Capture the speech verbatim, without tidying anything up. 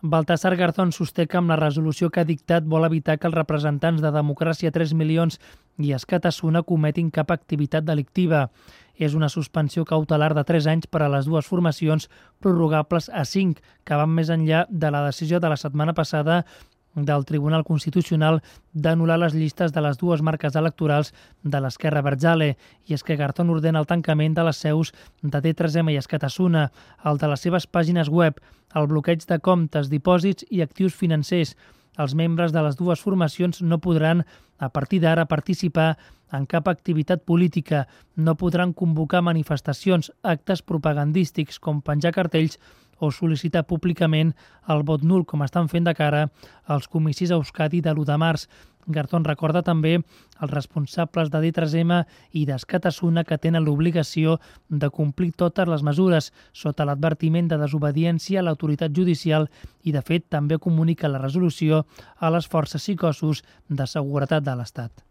Baltasar Garzón sosté que amb la resolució que ha dictat vol evitar que els representants de Democràcia tres milions i Escatasuna cometin cap activitat delictiva. És una suspensió cautelar de tres anys per a les dues formacions, prorrogables a cinc, que van més enllà de la decisió de la setmana passada del Tribunal Constitucional d'anul·lar les llistes de les dues marques electorals de l'Esquerra Abertzale. I és que Garzón ordena el tancament de les seus de D tres M i Escatasuna, el de les seves pàgines web, el bloqueig de comptes, dipòsits i actius financers. Els membres de les dues formacions no podran, a partir d'ara, participar en cap activitat política, no podran convocar manifestacions, actes propagandístics com penjar cartells o sol·licitar públicament el vot nul, com estan fent de cara als comicis a Euskadi de l'u de març. Garzón recorda també els responsables de D tres M i d'Escatasuna que tenen l'obligació de complir totes les mesures sota l'advertiment de desobediència a l'autoritat judicial i, de fet, també comunica la resolució a les forces i cossos de seguretat de l'Estat.